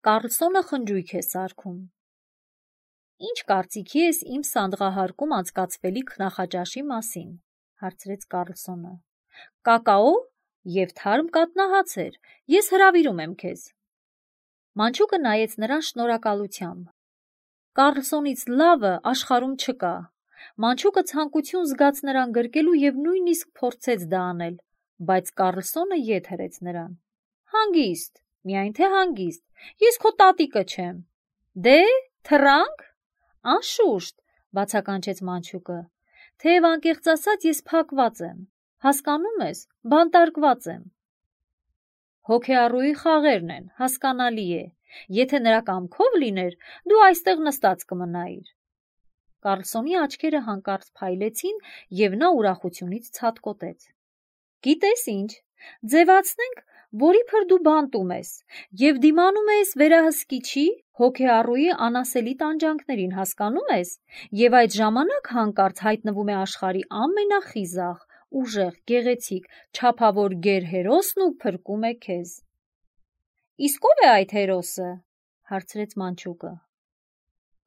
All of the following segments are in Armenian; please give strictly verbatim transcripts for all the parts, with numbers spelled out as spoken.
Կառլսոնը խնջույք է սարքում։ Ինչ կարծիքի ես իմ սանդղահարկում անցկացվելիք նախաճաշի մասին, հարցրեց Կառլսոնը։ Կակաո և թարմ կատնահաց էր, ես հրավիրում եմ քեզ։ Մանչուկը նայեց նրան շնորհակալությամբ։ Կառլսոնից լավը աշխարհում չկա։ Մանչուկը ցանկություն զգաց նրան գրկելու և նույնիսկ փորձեց դա անել, բայց Կառլսոնը ետ հրեց նրան։ Հանգիստ, միայն թե հանգիստ, ես քո տատիկը չեմ։ Դե, թռա՞նք։ Անշուշտ, բացականչեց Մանչուկը, թեև անկեղծ ասած ես փակված եմ, հասկանում ես, բանտարկված եմ։ Հոգեառուի խաղերն են, հասկանալի է, եթե նրա կամքով լիներ, դու այստեղ նստած կմնայիր։ Կառլսոնի աչքերը հանկարծ փայլեցին, և նա ուրախությունից ցատկոտեց։ Գիտես ինչ, ձևացնենք, որ իբր դու բանտում ես, և դիմանում ես վերահսկիչի, հոգեառուի անասելի տանջանքներին, հասկանում ես, և այդ ժամանակ հանկարծ հայտնվում է աշխարհի ամենախիզախ, ուժեղ, գեղեցիկ, չափավոր գեր-հերոսն ու փրկում է քեզ։ Իսկ ո՞վ է այդ հերոսը, հարցրեց Մանչուկը։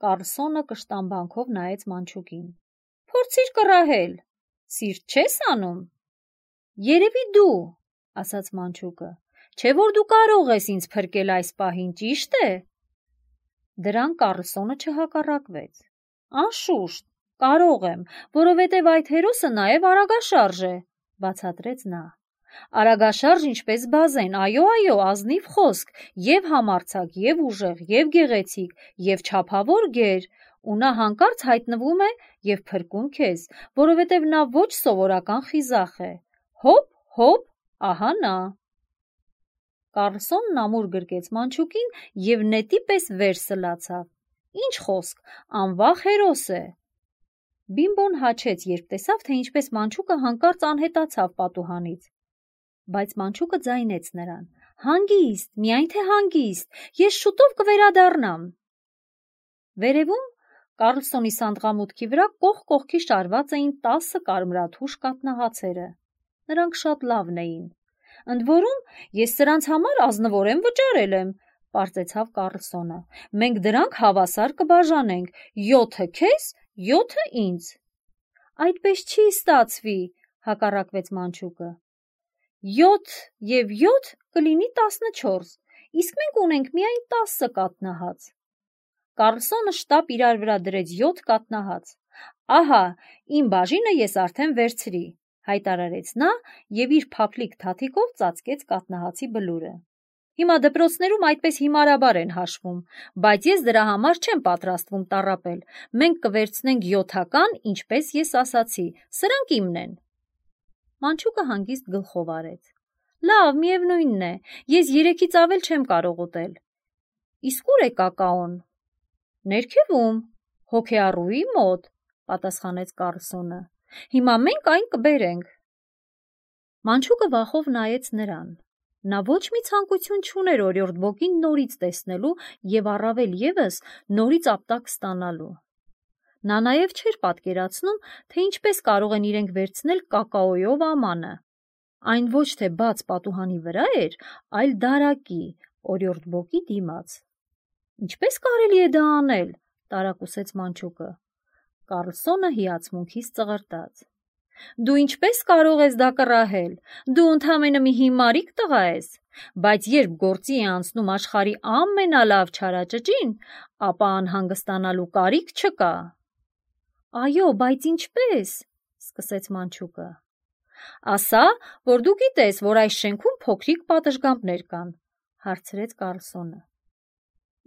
Կառլսոնը կշտամբանքով նայեց Մանչուկին։ Փորձիր կռահել, սիրտ չես անում։ Երևի դու, ասաց Մանչուկը, չէ՞ որ դու կարող ես ինձ փրկել այս պահին, ճի՞շտ է։ Դրան Կառլսոնը չհակառակվեց։ Անշուշտ, կարող եմ, որովհետև այդ հերոսը նաև արագաշարժ է, բացատրեց նա։ Արագաշարժ ինչպես բազեն, այո, այո, ազնիվ խոսք, և համարձակ, և ուժեղ, և գեղեցիկ, և չափավոր գեր, ու նա հանկարծ հայտնվում է և փրկում քեզ, որովհետև նա ոչ սովորական խիզախ է։ Հոպ, հոպ, ահա նա։ Կառլսոնն ամուր գրկեց Մանչուկին և նետի պես վեր սլացավ։ Ինչ խոսք, անվախ հերոս է։ Բիմբոն հաչեց, երբ տեսավ, թե ինչպես Մանչուկը հանկարծ անհետացավ պատուհանից։ Բայց Մանչուկը ձայնեց նրան. Հանգիստ, միայն թե հանգիստ, ես շուտով կվերադառնամ։ Վերևում Կառլսոնի սանդղամուտքի վրա կողք կողքի շարված էին տասը կարմրաթուշ կաթնահացերը։ Նրանք շատ լավն էին։ Ընդ որում, ես սրանց համար ազնվորեն վճարել եմ, պարզեցավ Կառլսոնը։ Մենք դրանք հավասար կբաժանենք, յոթը քեզ, յոթը ինձ։ Այդպես չի ստացվի, հակառակվեց Մանչուկը։ Յոթ և յոթ կլինի տասնչորս, իսկ մենք ունենք միայն տասը կաթնահաց։ Կառլսոնը շտապ իրար վրա դրեց յոթ կաթնահաց։ Ահա, իմ բաժինը ես արդեն վերցրի, հայտարարեց նա և իր փափլիկ թաթիկով ծածկեց կաթնահացի բլուրը։ Հիմա դպրոցներում այդպես հիմարաբար են հաշվում, բայց ես դրա համար չեմ պատրաստվում տառապել։ Մենք կվերցնենք յոթական, ինչպես ես ասացի, սրանք իմն են։ Մանչուկը հանգիստ գլխով արեց։ Լավ, միևնույնն է, ես երեքից ավել չեմ կարող ուտել։ Իսկ ուր է կակաոն։ Ներքևում, հոգեառուի մոտ, պատասխանեց Կառլսոնը։ Հիմա մենք այն կբերենք։ Մանչուկը վախով նայեց նրան։ Նա ոչ մի ցանկություն չուներ օրիորդ Բոկին նորից տեսնելու և առավել ևս նորից ապտակ ստանալու։ Նա նաև չէր պատկերացնում, թե ինչպես կարող են իրենք վերցնել կակաոյով ամանը։ Այն ոչ թե բաց պատուհանի վրա էր, այլ դարակի, օրիորդ Բոկի դիմաց։ Ինչպես կարելի է դա անել, տարակուսեց Մանչուկը։ Կառլսոնը հիացմունքից ծղրտաց։ Դու ինչպես կարող ես դա կռահել, դու ընդամենը մի հիմարիկ տղա ես, բայց երբ գործի է անցնում աշխարհի ամենալավ չարաճճին, ապա անհանգստանալու կարիք չկա։ Այո, բայց ինչպես, սկսեց Մանչուկը։ Ասա, որ դու գիտես, որ այս շենքում փոքրիկ պատշգամբներ կան, հարցրեց Կառլսոնը։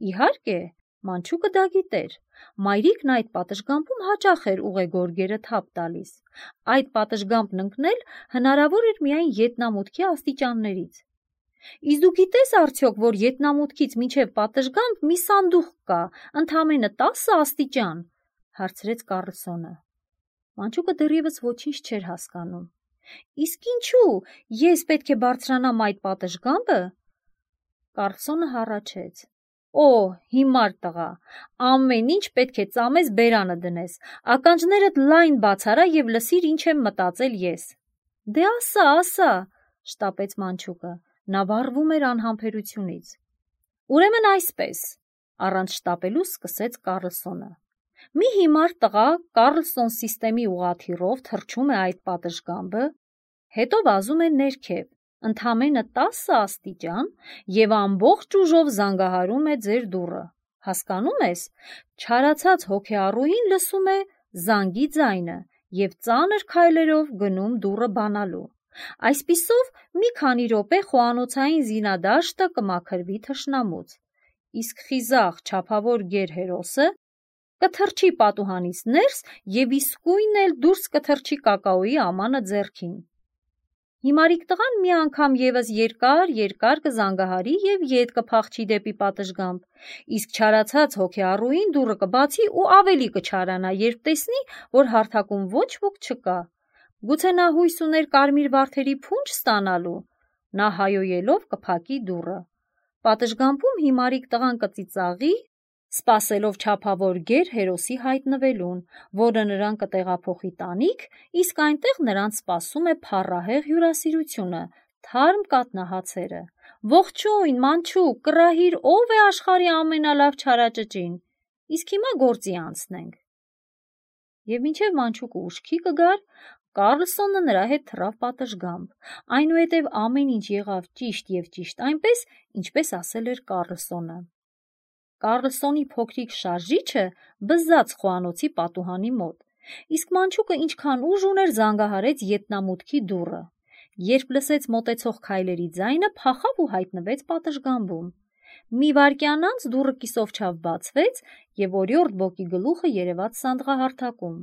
Իհարկե, Մանչուկը դա գիտեր։ Մայրիկն այդ պատշգամբում հաճախ էր ուղեգորգերը թափ տալիս։ Այդ պատշգամբն ընկնել հնարավոր էր միայն ետնամուտքի աստիճաններից։ Իսկ դու գիտես արդյոք, որ ետնամուտքից մինչև պատշգամբ մի սանդուղք կա, ընդամենը տասը աստիճան, հարցրեց Կառլսոնը։ Մանչուկը դեռևս ոչինչ չէր հասկանում։ Իսկ ինչու, ես պետք է բարձրանամ այդ պատշգամբը։ Կառլսոնը հառաչեց։ Օ, հիմար տղա, ամեն ինչ պետք է ծամես բերանը դնես, ականջներդ լայն բացարա և լսիր ինչ եմ մտածել ես։ Դե ասա, ասա, շտապեց Մանչուկը, նա վառվում էր անհամբերությունից։ Ուրեմն այսպես, առանց շտապելու սկսեց Կարլսոնը։ Մի հիմար տղա Կարլսոն սիստեմի ուղղաթիռով թռչում է այդ պատշգամբը, հետո վազում է ներքև, ընդամենը տասը աստիճան և ամբողջ ուժով զանգահարում է ձեր դուռը։ Հասկանում ես, չարացած հոգեառուհին լսում է զանգի ձայնը և ծանր քայլերով գնում դուռը բանալու։ Այսպիսով մի քանի րոպե խոհանոցային զինադաշտը կմաքրվի թշնամուց, իսկ խիզախ չափավոր գերհերոսը կթռչի պատուհանից ներս և իսկույն էլ դուրս կթռչի կակաոյի ամանը ձեռքին։ Հիմարիկ տղան մի անգամ ևս երկար-երկար կզանգահարի և ետ կփախչի դեպի պատշգամբ, իսկ չարացած հոգեառուհին դուռը կբացի ու ավելի կչարանա, երբ տեսնի, որ հարթակում ոչ ոք չկա։ Գուցե նա հույս ուներ կարմիր վարդերի փունջ ստանալու, նա հայոյելով կփակի դուռը։ Պատշգամբում հիմարիկ տղան կծիծաղի, սպասելով չափավոր գերհերոսի հայտնվելուն, որը նրան կտեղափոխի տանիք, իսկ այնտեղ նրանց սպասում է փառահեղ հյուրասիրությունը, թարմ կաթնահացերը։ Ողջույն, մանչուկ, կռահիր, ով է աշխարհի ամենալավ չարաճճին։ Իսկ հիմա գործի անցնենք։ Եվ մինչև մանչուկը ուշքի կգար, Կարլսոնը նրա հետ թռավ պատշգամբ, այնուհետև ամեն ինչ եղավ ճիշտ և ճիշտ այնպես, ինչպես ասել էր Կարլսոնը։ Կարլսոնի փոքրիկ շարժիչը բզաց խոհանոցի պատուհանի մոտ, իսկ մանչուկը ինչքան ուժ ուներ զանգահարեց ետնամուտքի դուռը։ Երբ լսեց մոտեցող քայլերի ձայնը, փախավ ու հայտնվեց պատշգամբում։ Մի վայրկյան անց դուռը կիսով-չափ բացվեց, և օրիորդ բոկի գլուխը երևաց սանդղահարթակում։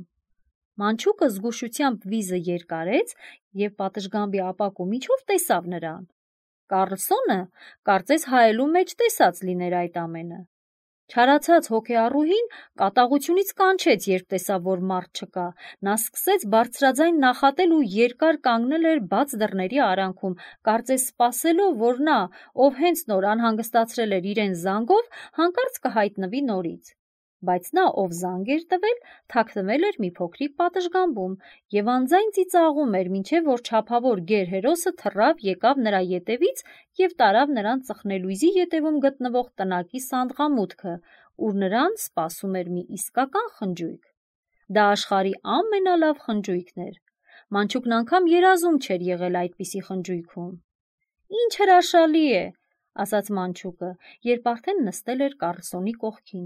Մանչուկը զգուշությամբ վիզը երկարեց և պատշգամբի ապակու միջով տեսավ նրան։ Կարլսոնը կարծես հայելու մեջ տեսած լիներ այդ ամենը։ Չարացած հոգեառուհին կատաղությունից կանչեց, երբ տեսավ, որ մարդ չկա։ Նա սկսեց բարձրաձայն նախատել ու երկար կանգնել էր բաց դռների արանքում, կարծես սպասելով, որ նա, ով հենց նոր անհանգստացրել էր իրեն զանգով, հանկարծ կհայտնվի նորից։ Բայց նա, ով զանգ էր տվել, թաքնվել էր մի փոքրիկ պատշգամբում և անձայն ծիծաղում էր, մինչև որ չափավոր գերհերոսը թռավ եկավ նրա ետևից և տարավ նրան ծխնելույզի ետևում գտնվող տնակի սանդղամուտքը, ուր նրան սպասում էր մի իսկական խնջույք։ Դա աշխարհի ամենալավ խնջույքն էր։ Մանչուկն անգամ երազում չէր եղել այդպիսի խնջույքում։ Ինչ հրաշալի է, ասաց մանչուկը, երբ արդեն նստել էր Կարլսոնի կողքին,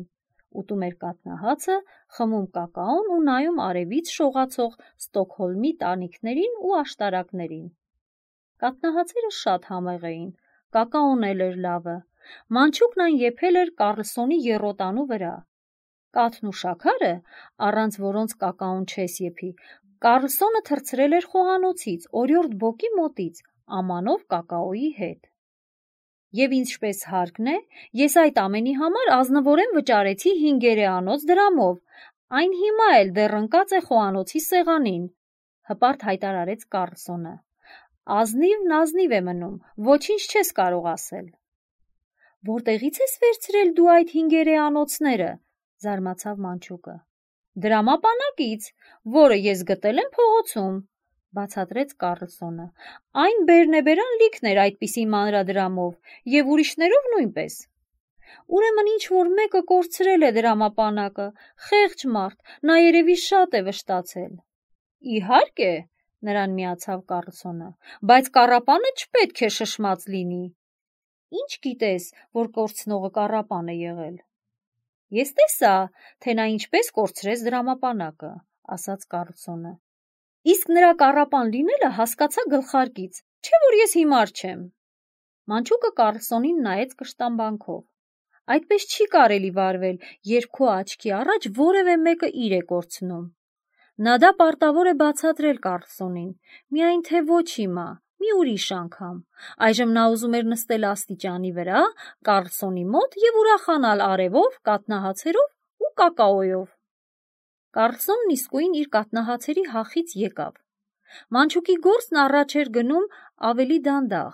ուտում էր կաթնահացը, խմում կակաոն ու նայում արևից շողացող Ստոկհոլմի տանիքներին ու աշտարակներին։ Կաթնահացերը շատ համեղ էին, կակաոն էլ էր լավը։ Մանչուկն այն եփել էր Կարլսոնի եռոտանու վրա։ Կաթն ու շաքարը, առանց որոնց կակաոն չես եփի, Կարլսոնը թռցրել էր խոհանոցից, օրիորդ բոկի մոտից, ամանով կակաոյի հետ։ Եվ ինչպես հարկն է, ես այդ ամենի համար ազնվորեն վճարեցի հինգերեանոց դրամով, այն հիմա էլ դեռ ընկած է խոհանոցի սեղանին, հպարտ հայտարարեց Կարլսոնը։ Ազնիվն ազնիվ է մնում, ոչինչ չես կարող ասել։ Որտեղից ես վերցրել դու այդ հինգերեանոցները, զարմացավ մանչուկը։ Դրամապանակից, որը ես գտել եմ փողոցում, բացատրեց Կարլսոնը։ Այն բերնեբերան լիքն էր այդպիսի մանրադրամով և ուրիշներով նույնպես։ Ուրեմն ինչ-որ մեկը կորցրել է դրամապանակը, խեղճ մարդ, նա երևի շատ է վշտացել։ Իհարկե, նրան միացավ Կարլսոնը, բայց կառապանը չպետք է շշմած լինի։ Ինչ գիտես, որ կորցնողը կառապան է եղել։ Ես տեսա, թե նա ինչպես կորցրեց դրամապանակը, ասաց Կարլսոնը։ Իսկ նրա կառապան լինելը հասկացա գլխարկից, չէ՞ որ ես հիմար չեմ։ Մանչուկը Կարլսոնին նայեց կշտամբանքով։ Այդպես չի կարելի վարվել, երբ քո աչքի առաջ որևէ մեկը իր է կորցնում։ Նա դա պարտավոր է բացատրել Կարլսոնին, միայն թե ոչ հիմա, մի ուրիշ անգամ։ Այժմ նա ուզում էր նստել աստիճանի վրա, Կարլսոնի մոտ և ուրախանալ արևով, կաթնահացերով ու կակաոյով։ Կարլսոնն իսկույն իր կաթնահացերի հախից եկավ։ Մանչուկի գործն առաջ էր գնում ավելի դանդաղ։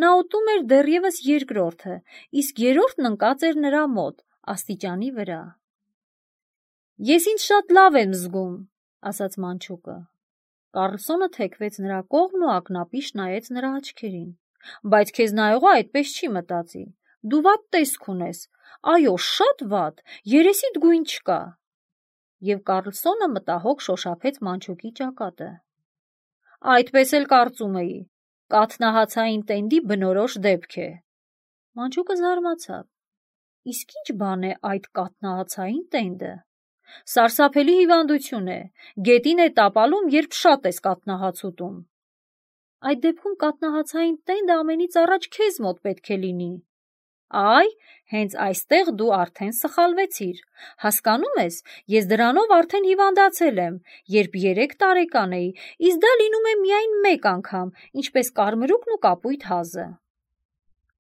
Նա ուտում էր դեռևս երկրորդը, իսկ երրորդն ընկած էր նրա մոտ, աստիճանի վրա։ Ես ինձ շատ լավ եմ զգում, ասաց մանչուկը։ Կարլսոնը թեքվեց նրա կողմն ու ակնապիշ նայեց նրա աչքերին։ Բայց քեզ նայողը այդպես չի մտածի։ Դու վատ տեսք ունես, այո, շատ վատ, երեսիդ գույն չկա։ Եվ Կարլսոնը մտահոգ շոշափեց մանչուկի ճակատը։ Այդպես էլ կարծում էի, կաթնահացային տենդի բնորոշ դեպք է։ Մանչուկը զարմացավ։ Իսկ ինչ բան է այդ կաթնահացային տենդը։ Սարսափելի հիվանդություն է, գետին է տապալում, երբ շատ ես կաթնահաց ուտում։ Այդ դեպքում կաթնահացային տենդը ամենից առաջ քեզ մոտ պետք է լինի։ Այ, հենց այստեղ դու արդեն սխալվեցիր։ Հասկանում ես, ես դրանով արդեն հիվանդացել եմ, երբ երեք տարեկան էի, իսկ դա լինում է միայն մեկ անգամ, ինչպես կարմրուկն ու կապույտ հազը։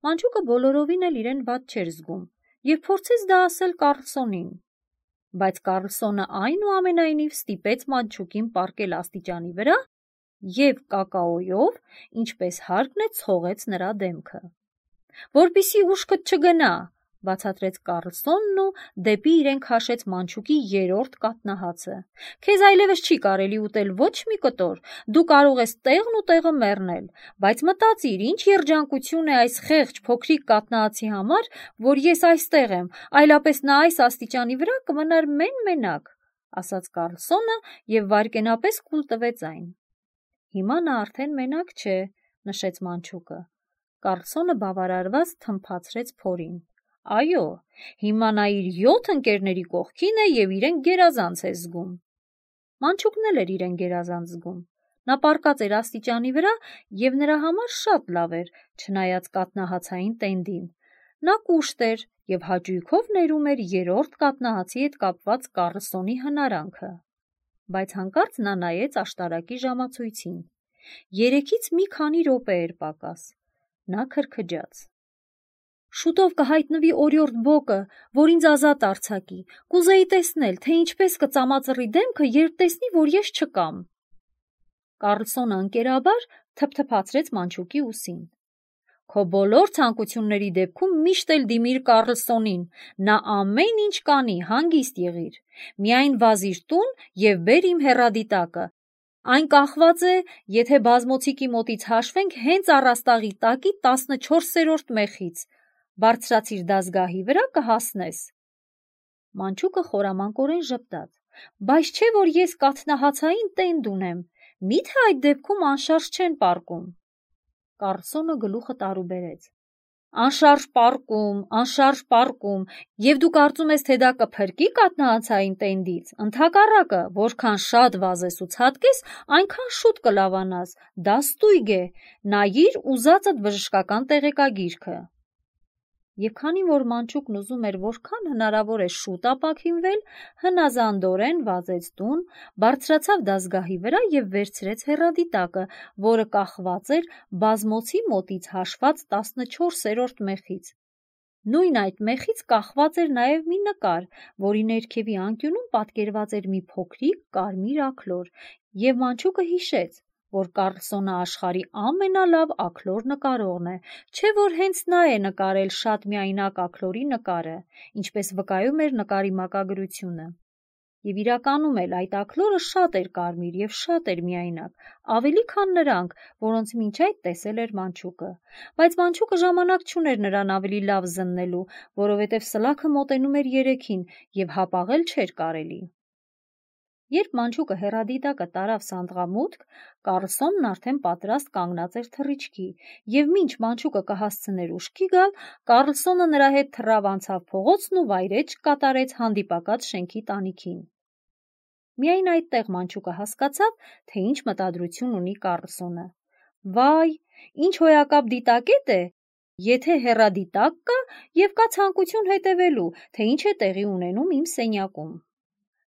Մանչուկը բոլորովին էլ իրեն վատ չէր զգում և փորձեց դա ասել Կարլսոնին։ Բայց Կարլսոնը այնուամենայնիվ ստիպեց մանչուկին պառկել աստիճանի վրա և կակաոյով, ինչպես հարկն է, ցողեց նրա դեմքը։ Որպեսզի ուշքդ չգնա, բացատրեց Կարլսոնն ու դեպի իրեն քաշեց մանչուկի երրորդ կաթնահացը։ Քեզ այլևս չի կարելի ուտել ոչ մի կտոր, դու կարող ես տեղն ու տեղը մեռնել, բայց մտածիր, ինչ երջանկություն է այս խեղճ փոքրիկ կաթնահացի համար, որ ես այստեղ եմ, այլապես նա այս աստիճանի վրա կմնար մեն-մենակ, ասաց Կարլսոնը և վայրկենապես կուլ տվեց այն։ Հիմա նա արդեն մենակ չէ, նշեց մանչուկը։ Կարլսոնը բավարարված թմփացրեց փորին։ Այո, հիմա նա իր յոթ ընկերների կողքին է և իրեն գերազանց է զգում։ Մանչուկն էլ էր իրեն գերազանց զգում։ Նա պառկած էր աստիճանի վրա և նրա համար շատ լավ էր, չնայած կաթնահացային տենդին։ Նա կուշտ էր և հաճույքով ներում էր երրորդ կաթնահացի հետ կապված Կարլսոնի հնարանքը։ Բայց հանկարծ նա նայեց աշտարակի ժամացույցին։ Երեքից մի քանի րոպե էր պակաս։ Նա քրքջաց։ Շուտով կհայտնվի օրիորդ Բոկը, որ ինձ ազատ արձակի։ Կուզեի տեսնել, թե ինչպես կծամածռի դեմքը, երբ տեսնի, որ ես չկամ։ Կարլսոնը ընկերաբար թփթփացրեց մանչուկի ուսին։ Քո բոլոր ցանկությունների դեպքում միշտ էլ դիմիր Կարլսոնին, նա ամեն ինչ կանի, հանգիստ եղիր։ Միայն վազիր տուն և բեր իմ հեռադիտակը։ Այն կախված է, եթե բազմոցիկի մոտից հաշվենք, հենց առաստաղի տակի տասնչորսերորդ մեխից։ Բարձրացիր դազգահի վրա, կհասնես։ Մանչուկը խորամանկորեն ժպտաց։ Բայց չէ, որ ես կաթնահացային տենդ ունեմ, մի՞թե այդ դեպքում անշարժ չեն պառկում։ Կարլսոնը գլուխը տարուբերեց։ Անշարժ պառկում, անշարժ պառկում, և դու կարծում ես, թե դա կփրկի կաթնահացային տենդից։ Ընդհակառակը, որքան շատ վազես ու ցատկես, այնքան շուտ կլավանաս։ Դա ստույգ է։ Նայիր ուզածդ բժշկական տեղեկագիրքը։ Եվ քանի որ մանչուկն ուզում էր որքան հնարավոր է շուտ ապաքինվել, հնազանդորեն վազեց տուն, բարձրացավ դազգահի վրա և վերցրեց հեռադիտակը, որը կախված էր բազմոցի մոտից հաշված տասնչորսերորդ մեխից։ Նույն այդ մեխից կախված էր նաև մի նկար, որի ներքևի անկյունում պատկերված էր մի փոքրիկ կարմիր աքլոր, և մանչուկը հիշեց, որ Կարլսոնը աշխարհի ամենալավ աքլոր նկարողն է, չէ՞ որ հենց նա է նկարել շատ միայնակ աքլորի նկարը, ինչպես վկայում էր նկարի մակագրությունը։ Եվ իրականում էլ այդ աքլորը շատ էր կարմիր և շատ էր միայնակ, ավելի քան նրանք, որոնց մինչ այդ տեսել էր մանչուկը։ Բայց մանչուկը ժամանակ չուներ նրան ավելի լավ զննելու, որովհետև սլաքը մոտենում էր երեքին և հապաղել չէր կարելի։ Երբ մանչուկը հեռադիտակը տարավ սանդղամուտք, Կարլսոնն արդեն պատրաստ կանգնած էր թռիչքի, և մինչ մանչուկը կհասցներ ուշքի գալ, Կարլսոնը նրա հետ թռավ անցավ փողոցն ու վայրէջք կատարեց հանդիպակաց շենքի տանիքին։ Միայն այդտեղ մանչուկը հասկացավ, թե ինչ մտադրություն ունի Կարլսոնը։ Վայ, ինչ հոյակապ դիտակետ է, եթե հեռադիտակ կա և կա ցանկություն հետևելու, թե ինչ է տեղի ունենում իմ սենյակում։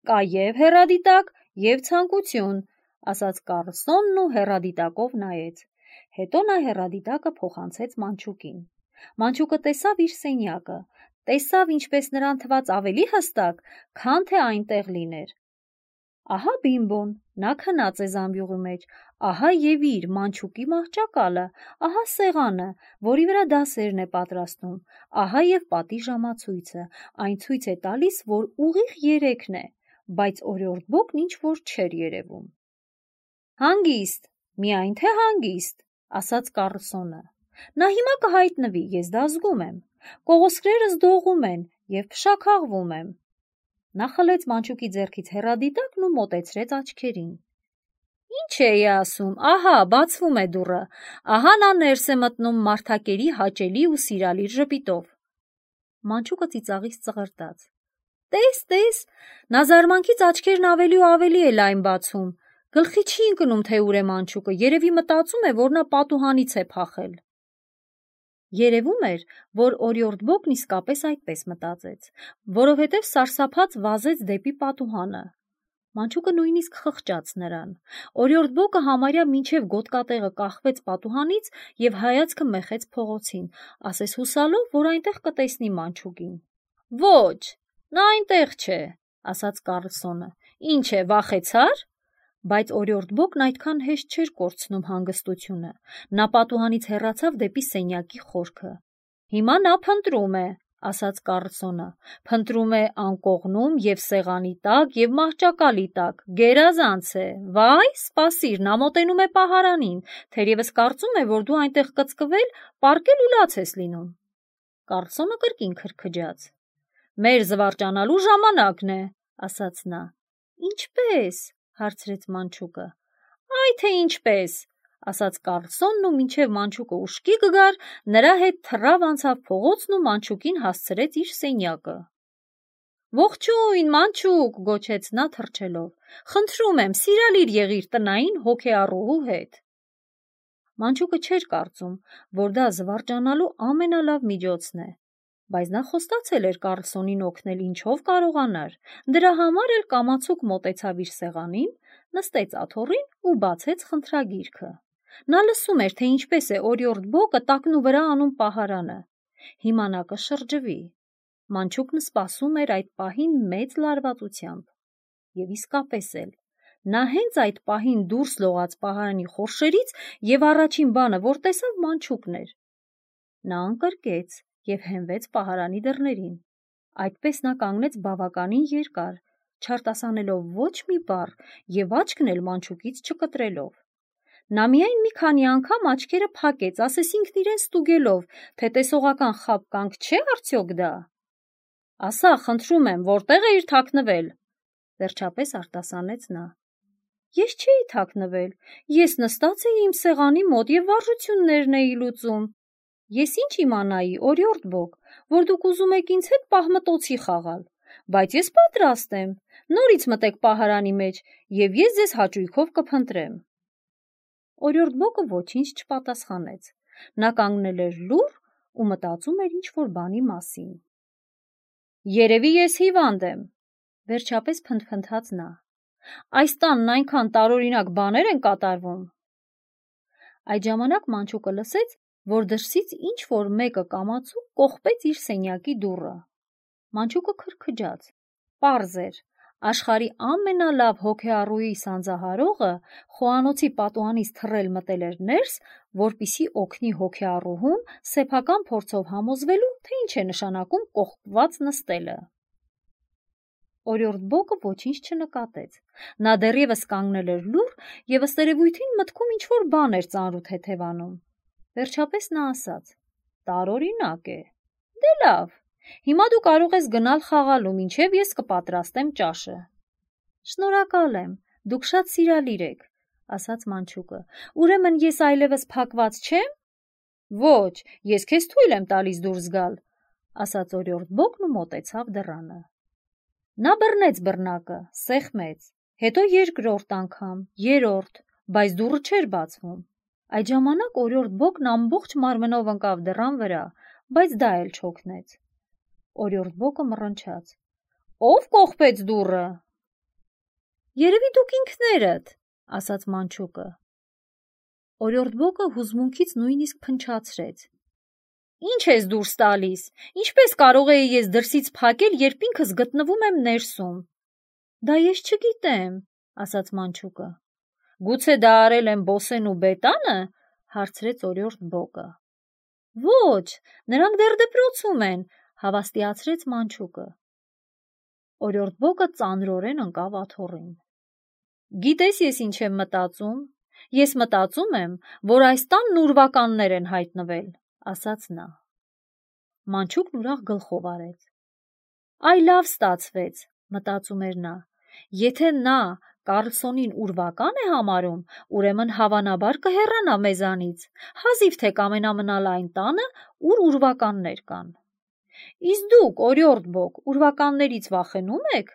Կա և հեռադիտակ, և ցանկություն, ասաց Կարլսոնն ու հեռադիտակով նայեց։ Հետո նա հեռադիտակը փոխանցեց մանչուկին։ Մանչուկը տեսավ իր սենյակը, տեսավ, ինչպես նրան թվաց ավելի հստակ, քան թե այնտեղ լիներ։ Ահա Բիմբոն, նա քնած է զամբյուղի մեջ, ահա և իր մանչուկի մահճակալը, ահա սեղանը, որի վրա դասերն է պատրաստում, ահա և պատի ժամացույցը, այն ցույց է տալիս, որ ուղիղ երեքն է, բայց օրիորդ Բոկն ինչ-որ չէր երևում։ Հանգիստ, միայն թե հանգիստ, ասաց Կարլսոնը։ Նա հիմա կհայտնվի, ես դա զգում եմ, կողոսկրերս դողում են և փշաքաղվում եմ։ Նա խլեց մանչուկի ձեռքից հեռադիտակն ու մոտեցրեց աչքերին։ Ինչ էի ասում, ահա, բացվում է դուռը, ահա նա ներս է մտնում մարդակերի հաճելի ու սիրալիր ժպիտով։ Մանչուկը ծիծաղից ծղրտաց։ Տես, տես, նա զարմանքից աչքերն ավելի ու ավելի է լայն բացում, գլխի չի ընկնում, թե ուր է մանչուկը, երևի մտածում է, որ նա պատուհանից է փախել։ Երևում էր, որ օրիորդ Բոկն իսկապես այդպես մտածեց, որովհետև սարսափած վազեց դեպի պատուհանը։ Մանչուկը նույնիսկ խղճաց նրան։ Օրիորդ Բոկը համարյա մինչև գոտկատեղը կախվեց պատուհանից և հայացքը մեխեց փողոցին, ասես հուսալով, որ այնտեղ կտեսնի մանչուկին։ Ոչ, նա այնտեղ չէ, ասաց Կարլսոնը։ Ինչ է, վախեցար։ Բայց օրիորդ Բոկն այդքան հեշտ չէր կորցնում հանգստությունը։ Նա պատուհանից հեռացավ դեպի սենյակի խորքը։ Հիմա նա փնտրում է, ասաց Կարլսոնը։ Փնտրում է անկողնում և սեղանի տակ և մահճակալի տակ, գերազանց է։ Վայ, սպասիր, նա մոտենում է պահարանին, թերևս կարծում է, որ դու այնտեղ կծկվել, պառկել ու լաց ես լինում։ Կարլսոնը կրկին քրքջաց։ Մեր զվարճանալու ժամանակն է, ասաց նա։ Ինչպե՞ս, հարցրեց մանչուկը։ Այ թե ինչպես, ասաց Կարլսոնն ու մինչև մանչուկը ուշքի կգար, նրա հետ թռավ անցավ փողոցն ու մանչուկին հասցրեց իր սենյակը։ Ողջույն, մանչուկ, գոչեց նա թռչելով։ Խնդրում եմ, սիրալիր եղիր տնային հոգեառուհու հետ։ Մանչուկը չէր կարծում, որ դա զվարճանալու ամենալավ միջոցն է, բայց նա խոստացել էր Կարլսոնին օգնել ինչով կարողանար, դրա համար էլ կամացուկ մոտեցավ իր սեղանին, նստեց աթոռին ու բացեց խնդրագիրքը։ Նա լսում էր, թե ինչպես է օրիորդ Բոկը տակնու վրա անում պահարանը։ Հիմա նա կշրջվի։ Մանչուկն սպասում էր այդ պահին մեծ լարվածությամբ։ Եվ իսկապես էլ, նա հենց այդ պահին դուրս լողաց պահարանի խորշերից և առաջին բանը, որ տեսավ, մանչուկն էր։ Նա ընկրկեց և հենվեց պահարանի դռներին։ Այդպես նա կանգնեց բավականին երկար, չարտասանելով ոչ մի բառ և աչքն էլ մանչուկից չկտրելով։ Նա միայն մի քանի անգամ աչքերը փակեց, ասես ինքն իրեն ստուգելով, թե տեսողական խաբկանք չէ՞ արդյոք դա։ Ասա, խնդրում եմ, որտեղ էիր թաքնվել, վերջապես արտասանեց նա։ Ես չէի թաքնվել, ես նստած էի իմ սեղանի մոտ և վարժություններն էի լուծում։ Ես ինչ իմանայի, օրիորդ Բոկ, որ դուք ուզում եք ինձ հետ պահմտոցի խաղալ, բայց ես պատրաստ եմ, նորից մտեք պահարանի մեջ, և ես ձեզ հաճույքով կփնտրեմ։ Օրիորդ Բոկը ոչինչ չպատասխանեց։ Նա կանգնել էր լուռ ու մտածում էր ինչ-որ բանի մասին։ Երևի ես հիվանդ եմ, վերջապես փնթփնթաց նա։ Այս տանն այնքան տարօրինակ բաներ են կատարվում։ Այդ ժամանակ մանչուկը լսեց, որ դրսից ինչ-որ մեկը կամացուկ կողպեց իր սենյակի դուռը։ Մանչուկը քրքջաց։ Պարզ էր, աշխարհի ամենալավ հոգեառուի սանձահարողը խոհանոցի պատուհանից թռել մտել էր ներս, որպեսզի օգնի հոգեառուհուն սեփական փորձով համոզվելու, թե ինչ է նշանակում կողպված նստելը։ Օրիորդ Բոկը ոչինչ չնկատեց։ Նա դեռևս կանգնել էր լուռ և ըստ երևույթին մտքում ինչ-որ բան էր ծանրութեթևանում։ Վերջապես նա ասաց. տարօրինակ է։ Դե լավ, հիմա դու կարող ես գնալ խաղալու, մինչև ես կպատրաստեմ ճաշը։ Շնորհակալ եմ, դուք շատ սիրալիր եք, ասաց մանչուկը։ Ուրեմն ես այլևս փակված չեմ։ Ոչ, ես քեզ թույլ եմ տալիս դուրս գալ, ասաց օրիորդ Բոկն ու մոտեցավ դռանը։ Նա բռնեց բռնակը, սեղմեց, հետո երկրորդ անգամ, երրորդ, բայց դուռը չէր բացվում։ Այդ ժամանակ օրիորդ Բոկն ամբողջ մարմնով ընկավ դռան վրա, բայց դա էլ չօգնեց։ Օրիորդ Բոկը մռնչաց. Ո՞վ կողպեց դուռը։ Երևի դուք ինքներդ, ասաց մանչուկը։ Օրիորդ Բոկը հուզմունքից նույնիսկ փնչացրեց։ Ինչ ես դուրս տալիս։ Ինչպես կարող էի ես դրսից փակել, երբ ինքս գտնվում եմ ներսում։ Դա ես չգիտեմ, ասաց մանչուկը։ Գուցե դա արել են Բոսեն ու Բետանը, հարցրեց օրիորդ Բոկը։ Ոչ, նրանք դեռ դպրոցում են, հավաստիացրեց մանչուկը։ Օրիորդ Բոկը ծանրորեն ընկավ աթոռին։ Գիտես ես ինչ եմ մտածում։ Ես մտածում եմ, որ այս տանն ուրվականներ են հայտնվել, ասաց նա։ Մանչուկն ուրախ գլխով արեց։ Այ լավ ստացվեց, մտածում էր նա, եթե նա Կարլսոնին ուրվական է համարում, ուրեմն հավանաբար կհեռանա մեզանից, հազիվ թե կամենամնալ այն տանը, ուր ուրվականներ կան։ Իսկ դուք, օրիորդ Բոկ, ուրվականներից վախենու՞մ եք,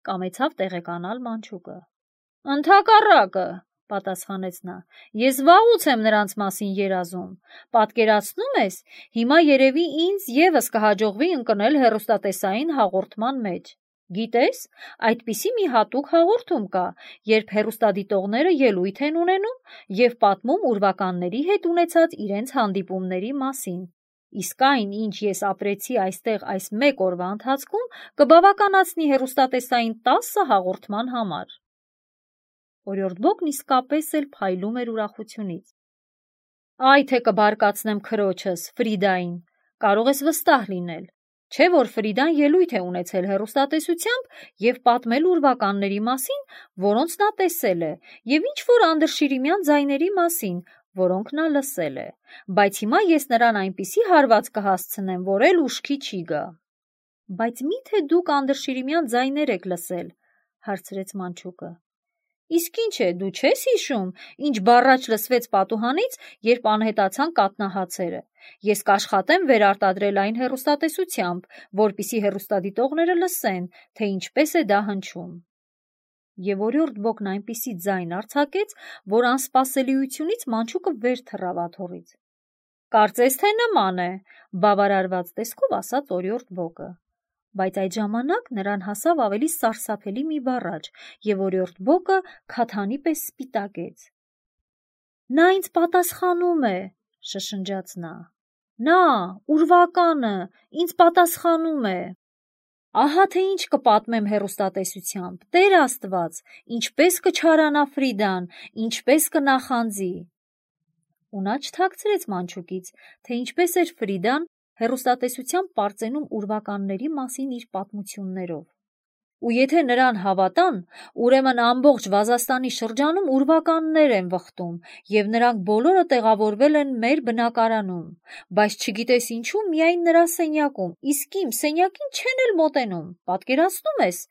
կամեցավ տեղեկանալ Մանչուկը։ Ընդհակառակը, պատասխանեց նա, ես վաղուց եմ նրանց մասին երազում, պատկերացնում ես, հիմա երևի ինձ ևս կհաջողվի ընկնել հեռուստատեսային հաղորդման մեջ։ Գիտես, այդպիսի մի հատուկ հաղորդում կա, երբ հեռուստադիտողները ելույթ են ունենում և պատմում ուրվականների հետ ունեցած իրենց հանդիպումների մասին։ Իսկ այն, ինչ ես ապրեցի այստեղ այս մեկ օրվա ընթացքում, կբավականացնի հեռուստատեսային տասը հաղորդման համար։ Օրիորդ Բոկն իսկապես էլ փայլում էր ուրախությունից։ Այ թե կբարկացնեմ քրոջս, Ֆրիդային, կարող ես վստահ լինել, չէ՞ որ Ֆրիդան ելույթ է ունեցել հեռուստատեսությամբ և պատմել ուրվականների մասին, որոնց նա տեսել է, և ինչ-որ անդրշիրիմյան ձայների մասին, որոնք նա լսել է, բայց հիմա ես նրան այնպիսի հարված կհասցնեմ, որ էլ ուշքի չի գա։ Բայց մի՞թե դուք անդրշիրիմյան ձայներ եք լսել, հարցրեց Մանչուկը։ Իսկ ինչ է, դու չես հիշում, ինչ բառաչ լսվեց պատուհանից, երբ անհետացան կաթնահացերը։ Ես կաշխատեմ վերարտադրել այն հեռուստատեսությամբ, որպեսզի հեռուստադիտողները լսեն, թե ինչպես է դա հնչում։ Եվ օրիորդ Բոկն այնպիսի ձայն արձակեց, որ անսպասելիությունից Մանչուկը վեր թռավ աթոռից։ Կարծես թե նման է, բավարարված տեսքով ասաց օրիորդ Բոկը։ Բայց այդ ժամանակ նրան հասավ ավելի սարսափելի մի բառաչ, և օրիորդ Բոկը քաթանի պես սպիտակեց։ Նա ինձ պատասխանում է, շշնջաց նա։ Նա, ուրվականը, ինձ պատասխանում է։ Ահա թե ինչ կպատմեմ հեռուստատեսությամբ, Տեր Աստված, ինչպես կչարանա Ֆրիդան, ինչպես կնախանձի։ Ու նա չթաքցրեց Մանչուկից, թե ինչպես էր Ֆրիդան հեռուստատեսությամբ պարծենում ուրվականների մասին իր պատմություններով։ Ու եթե նրան հավատան, ուրեմն ամբողջ Վազաստանի շրջանում ուրվականներ են վխտում, և նրանք բոլորը տեղավորվել են մեր բնակարանում, բայց չգիտես ինչու միայն նրա սենյակում, իսկ իմ սենյակին չեն էլ մոտենում, պատկերացնում ես,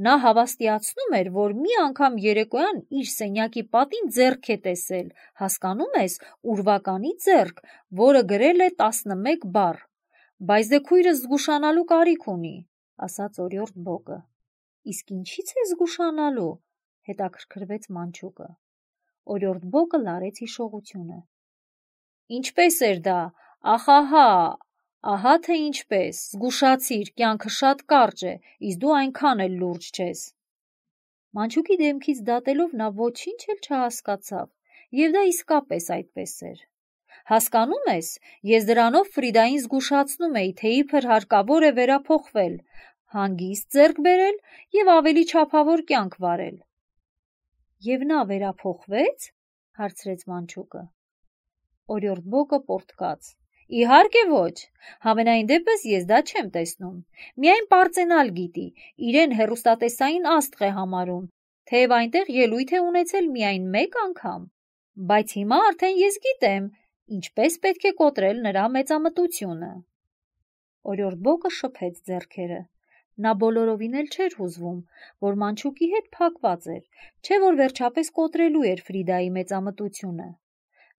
նա հավաստիացնում էր, որ մի անգամ երեկոյան իր սենյակի պատին ձեռք է տեսել, հասկանում ես, ուրվականի ձեռք, որը գրել է տասնմեկ բառ, բայց դե քույրս զգուշանալու կարիք ունի, ասաց օրիորդ Բոկը։ Իսկ ինչի՞ց է զգուշանալու, հետաքրքրվեց Մանչուկը։ Օրիորդ Բոկը լարեց հիշողությունը։ Ինչպես էր դա, ախահա, ահա թե ինչպես, զգուշացիր, կյանքը շատ կարճ է, իսկ դու այնքան էլ լուրջ չես։ Մանչուկի դեմքից դատելով նա ոչինչ էլ չհասկացավ, և դա իսկապես այդպես էր։ Հասկանում ես, ես դրանով Ֆրիդային զգուշացնում էի, թե իբր հարկավոր է վերափոխվել, հանգիստ ձեռք բերել և ավելի չափավոր կյանք վարել։ Եվ նա վերափոխվե՞ց, հարցրեց Մանչուկը։ Օրիորդ Բոկը պոռթկաց։ Իհարկե ոչ, համենայն դեպս ես դա չեմ տեսնում, միայն պարծենալ գիտի, իրեն հեռուստատեսային աստղ է համարում, թեև այնտեղ ելույթ է ունեցել միայն մեկ անգամ, բայց հիմա արդեն ես գիտեմ, ինչպես պետք է կոտրել նրա մեծամտությունը։ Օրիորդ Բոկը շփեց ձեռքերը։ Նա բոլորովին էլ չէր հուզվում, որ Մանչուկի հետ փակված էր, չէ որ վերջապես կոտրելու էր Ֆրիդայի մեծամտությունը։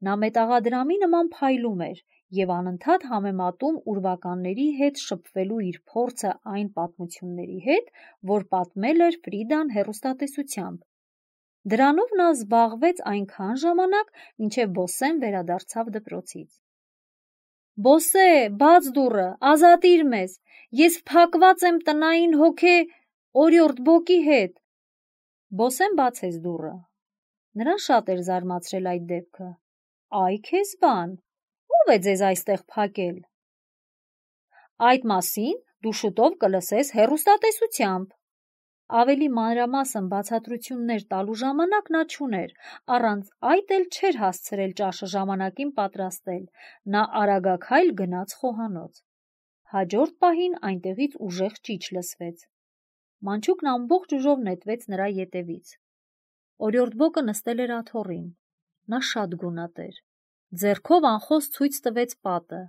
Նա մետաղադրամի նման փայլում էր և անընդհատ համեմատում ուրվականների հետ շփվելու իր փորձը այն պատմությունների հետ, որ պատմել էր Ֆրիդան հեռուստատեսությամբ։ Դրանով նա զբաղվեց այնքան ժամանակ, մինչև Բոսեն վերադարձավ դպրոցից։ Բոսե, բաց դուռը, ազատիր մեզ, ես փակված եմ տնային հոգե օրիորդ Բոկի հետ։ Բոսեն բացեց դուռը։ Նրան շատ էր զարմացրել այդ դեպքը։ Այ քեզ բան, ո՞վ է ձեզ այստեղ փակել։ Այդ մասին դու շուտով կլսես հեռուստատեսությամբ։ Ավելի մանրամասն բացատրություններ տալու ժամանակ նա չուներ, առանց այդ էլ չէր հասցրել ճաշը ժամանակին պատրաստել, նա արագաքայլ գնաց խոհանոց։ Հաջորդ պահին այնտեղից ուժեղ ճիչ լսվեց։ Մանչուկն ամբողջ ուժով նետվեց նրա ետևից։ Օրիորդ Բոկը նստել էր աթոռին։ Նա շատ գունատ էր։ Ձեռքով անխոս ցույց տվեց պատը։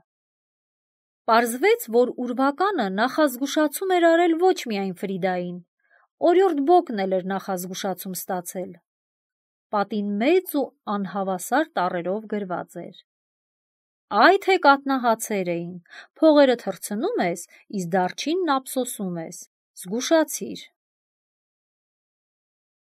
Պարզվեց, որ ուրվականը նախազգուշացում էր արել ոչ միայն Ֆրիդային, օրիորդ Բոկն էլ էր նախազգուշացում ստացել։ Պատին մեծ ու անհավասար տառերով գրված էր. «Այ թե կատնահացեր էին, փողերը թռցնում ես, իսկ դարչինն ափսոսում ես, զգուշացիր»։